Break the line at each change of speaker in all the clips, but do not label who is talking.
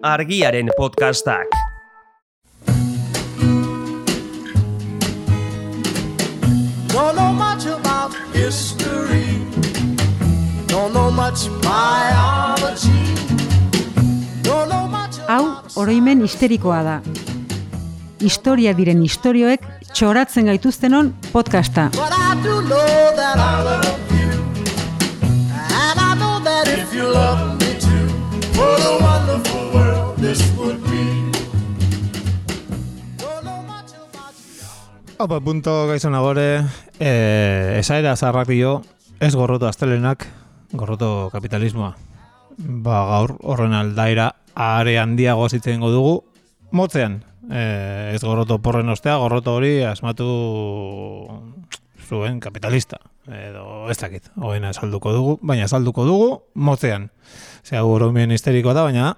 Argiaren podcastak.
Don't know much about history. Don't know much biology. Don't know much.
Hau, oroimen histerikoa da. Historia diren istorioek txoratzen gaituztenon podcasta.
But I do know that I love you. And I know that if you love me too, what a wonderful world this would be. Don't know much about you.
Opa, punto gaizona gore, esaera zarrak dio, ez gorroto astelenak, gorroto kapitalismoa. Gaur horren aldaira are handiago zitzen dugu, motzean. Ez gorroto porren ostea, gorroto hori asmatu zuen kapitalista. Edo ez dakit, hoena salduko dugu, baina salduko dugu motzean. Osea, oroimen histerikoa da, baina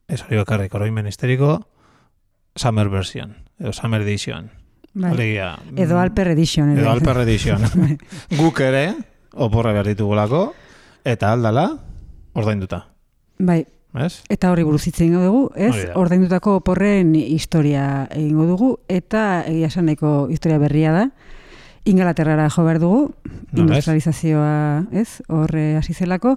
ez hori bakarrik, oroimen histeriko Summer version, edo Summer edition.
Bai.
Alegia,
Edo Alper Edition.
Edo Alper Edition. Guk ere, oporra behar ditugulako, eta aldala, ordainduta.
Bai.
Ez?
Eta horri buruz hitz egingo dugu, ez?
Hori da.
Ordaindutako oporren historia egingo dugu, eta egia esan nahiko historia berria da. Ingalaterrara jo behar dugu, industrializazioa, ez? Horre hasi zelako,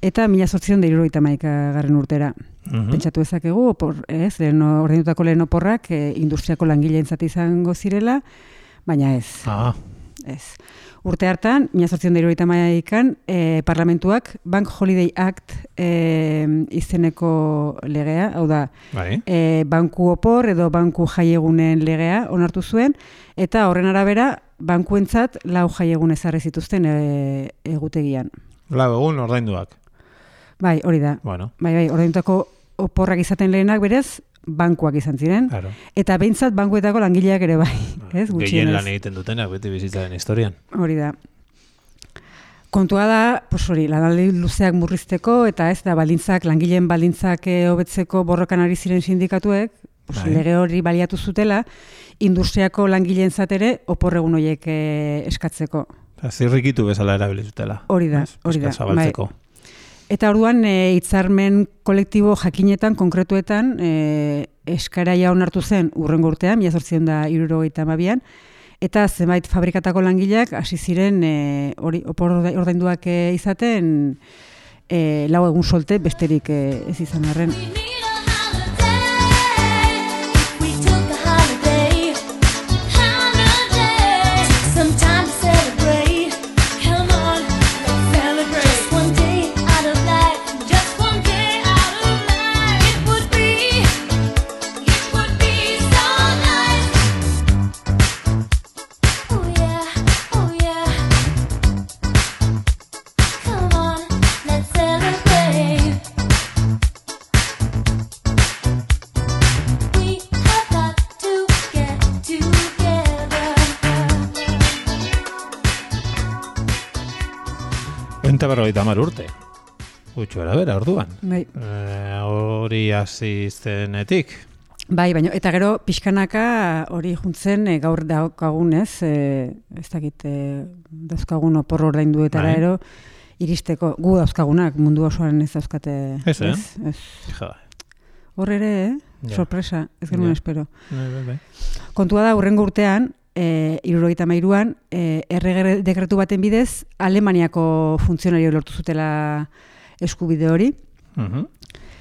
eta 1871 urtera. Pentsatu ezakegu, ez? Ordaindutako lehen oporrak industriako langileentzat izango zirela, baina ez. Ez. Urte hartan, 1871an, parlamentuak Bank Holiday Act izeneko legea, hau da, banku opor edo banku jaiegunen legea onartu zuen, eta horren arabera, bankuentzat 4 jaiegun ezarri zituzten egutegian.
4 egun ordainduak.
Bai, hori da.
Bueno.
Bai, ordaindutako oporrak izaten lehenak berez, bankuak izan ziren. Claro. Eta behintzat bankuetako langileak ere bai.
Gehien lan egiten dutenak beti bizitzaren historian.
Hori da. Kontua da, hori, lanaldi luzeak murrizteko eta ez da langileen baldintzak hobetzeko borrokan ari ziren sindikatuek, lege hori baliatu zutela, industriako langileentzat ere oporregun horiek eskatzeko.
Zirrikitu bezala erabili zutela.
Hori da, hori da.
Zabaltzeko.
Eta orduan hitzarmen kolektibo jakinetan, konkretuetan, eskaraia onartu zen urrengo urtean, 1872an, eta zenbait fabrikatako langileak hasi ziren opor ordainduak izaten 4 egun solte besterik ez izan arren.
Eta 50 urte. Gutxo bera, orduan.
Bai.
Hori hasi zenetik.
Bai, baina, eta gero pixkanaka hori juntzen gaur daukagun, ez dakit, dauzkagun opor ordainduetara ero, iristeko, gu dauzkagunak, mundu osoan ez dauzkate.
Ez.
Hor ere, sorpresa, ez genuen espero.
Bai.
Kontua da, hurrengo urtean, 73an, errege dekretu baten bidez, Alemaniako funtzionario lortu zutela eskubide hori.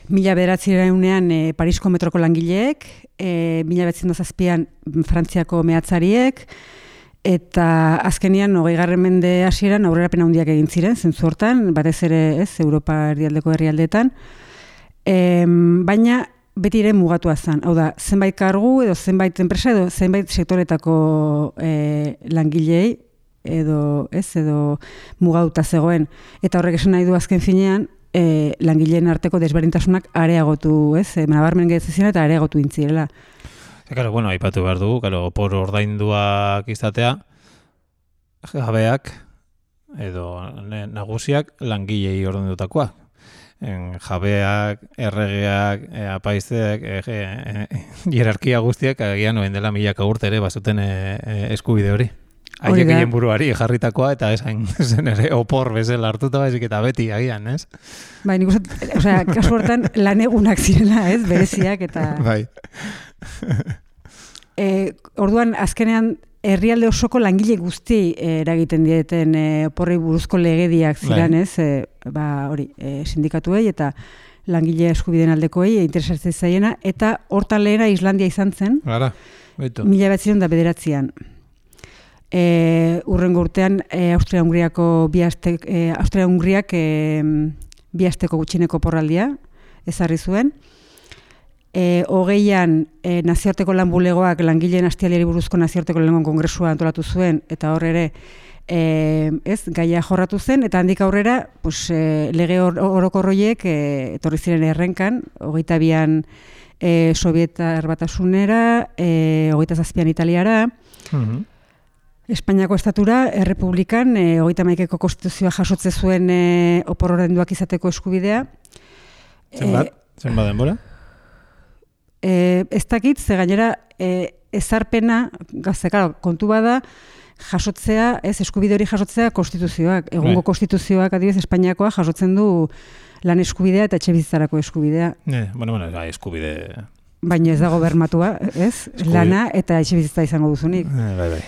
1900ean Parisko metroko langileek, 1907an Frantziako mehatzariek, eta azkenian 20. Mende hasieran aurrerapen handiak egin ziren, zentzu hortan, batez ere ez, Europa erdialdeko herrialdeetan, baina beti ere mugatua zen. Hau da, zenbait kargu edo zenbait enpresa edo zenbait sektoretako langilei edo mugatuta zegoen. Eta horrek esan nahi du azken finean, langileen arteko desberdintasunak areagotu, nabarmen gehiatzen eta areagotu intzirela.
Bueno, aipatu behar dugu, opor ordainduak izatea, jabeak edo nagusiak langilei ordaindutakoak. Jabeak, erregeak, apaizteak, hierarkia guztiak agian noen dela 1000 urte ere bazuten eskubide hori. haiek egin buruari jarritakoa, eta esan zen ere opor bezala hartuta baizik eta beti agian, ez?
Bai, nik uste, kasu hortan lan egunak zirela, ez, bereziak, eta...
Bai.
Orduan, azkenean, herrialde osoko langile guzti eragiten dieten oporrei buruzko legediak ziren, ez? Hori, sindikatuei eta langile eskubideen aldekoei interesatzen zaiena, eta hortan lehena Islandia izan zen.
Gara, baitu.
1909an. Urrengo urtean Austria-Hungriak bi asteko gutxieneko porraldia ezarri zuen. 20an nazioarteko lan bulegoak langileen astialdiari buruzko nazioarteko lan kongresua antolatu zuen, eta hor ere gaia jorratu zen, eta handik aurrera lege orokorroiek etorri ziren errenkan, 22an Sovietar Batasunera, 27an Italiara, Espainiako estatura, Errepublikan, 31eko konstituzioa jasotze zuen opor ordainduak izateko eskubidea.
Zenbat denbora?
Ez dakit, ze gainera ezarpena, kontu bada, jasotzea, eskubide hori jasotzea konstituzioak. Egungo konstituzioak, adibidez, Espainiakoa jasotzen du lan eskubidea eta etxebizitzarako eskubidea.
Eskubide...
Baina ez dago bermatua, ez? Lana eta etxebizitza izango duzunik.
Bai.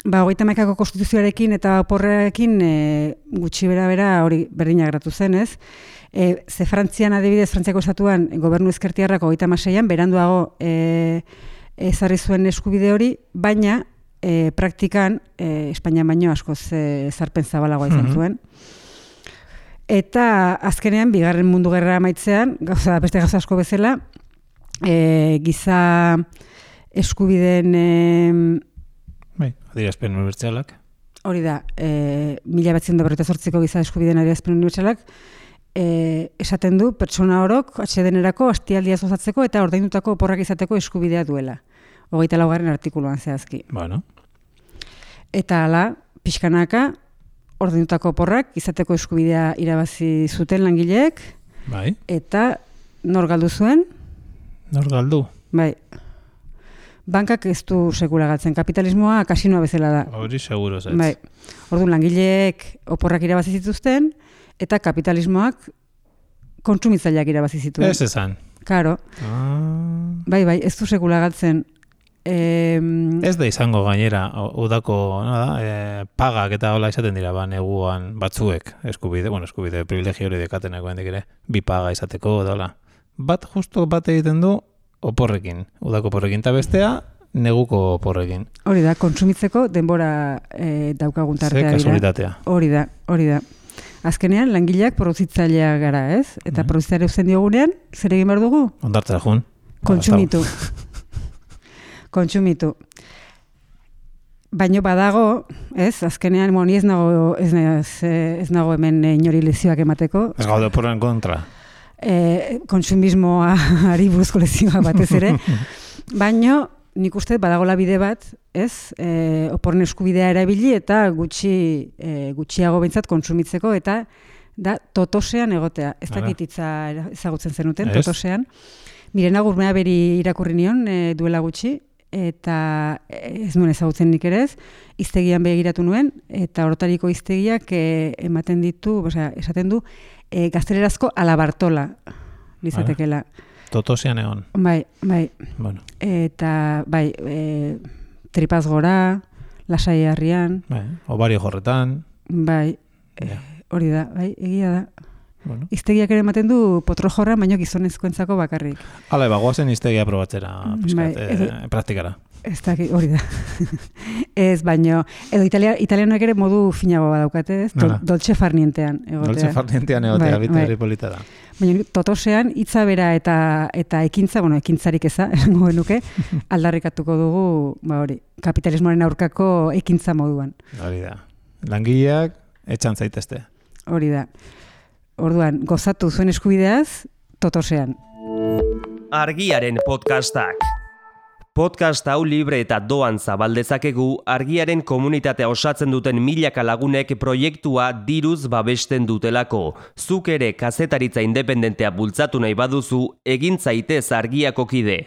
31ko konstituzioarekin eta oporrekin gutxi bera hori berdina geratu zen, ez? Ze Frantzian adibidez, Frantziako estatuan gobernu ezkertiarrako 36an beranduago ezarri zuen eskubide hori, baina praktikan Espainian baino askoz ezarpen zabalagoa izan zuen. Eta azkenean, bigarren mundu gerra amaitzean, beste gauza asko bezala, giza eskubideen...
Adierazpen unibertsalak.
Hori da, 1948ko giza eskubideen adierazpen unibertsalak, esaten du pertsona orok atsedenerako astialdia osatzeko eta ordaindutako oporrak izateko eskubidea duela. 24. artikuluan zehazki.
Bueno.
Eta hala, pixkanaka, ordaindutako oporrak izateko eskubidea irabazi zuten langileek.
Bai.
Eta nor galdu zuen?
Nor galdu?
Bai. Bankak ez du sekula galtzen. Kapitalismoa kasinoa bezala da.
Hori seguro zaiz.
Bai. Orduan langileek oporrak irabazi zituzten, eta kapitalismoak kontsumitzaileak irabazi zituen.
Ez esan.
Karo. Bai, ez du sekula galtzen.
Ez da izango gainera, udako pagak eta hola izaten dira, neguan batzuek, eskubide privilegio hori dekatenako hendik ere, bi paga izateko, dola. Justo bat egiten du oporrekin, udako oporrekin, eta bestea, neguko oporrekin.
Hori da, kontsumitzeko denbora daukagun tartea dira.
Ze kasualitatea.
Hori da. Azkenean, langileak produzitzaileak gara, ez? Eta produzitzaileak eusten diogunean, zer egin behar dugu?
Ondartzera jun.
Kontsumitu. Baino badago, ez? Azkenean, ni ez nago hemen inori lezioak emateko.
Ez gaude oporren kontra.
Kontsumismoari buruzko lezioak batez ere. Baino, nik uste badagola bide bat, ez? Oporren eskubidea erabili eta gutxiago behintzat kontsumitzeko eta da totosean egotea. Ez dakit hitza ezagutzen zenuten, totosean. Mirena Gurmea beri irakurri nion duela gutxi, eta ez nuen ezagutzen nik ere ez, hiztegian begiratu nuen, eta horretariko hiztegiak ematen ditu, esaten du, gaztelerazko alabartola lizatekela.
Totosean egon.
Bai.
Bueno.
Eta, tripaz gora, lasai harrian.
Bai, obario jorretan.
Bai, hori da, egia da.
Bueno.
Iztegiak ere ematen du potro jorra, baino gizonezkoentzako bakarrik.
Hala, goazen iztegia probatzera, praktikara.
Ez da, hori da. Ez, baino, edo italianoek ere modu finago badaukate, ez? Dolce farnientean egotea.
Dolce farnientean egotea, bitari polita da.
Baina totosean, hitza bera eta ekintza, ekintzarik eza, esango genuke, aldarrikatuko dugu, hori, kapitalismoaren aurkako ekintza moduan.
Hori da. Langileak, etxan zaitezte.
Hori da. Orduan, gozatu zuen eskubideaz, totosean.
Argiaren podcastak. Podcast hau libre eta doan zabaldezakegu Argiaren komunitatea osatzen duten milaka lagunek proiektua diruz babesten dutelako. Zuk ere kazetaritza independentea bultzatu nahi baduzu, egin zaitez Argiako kide.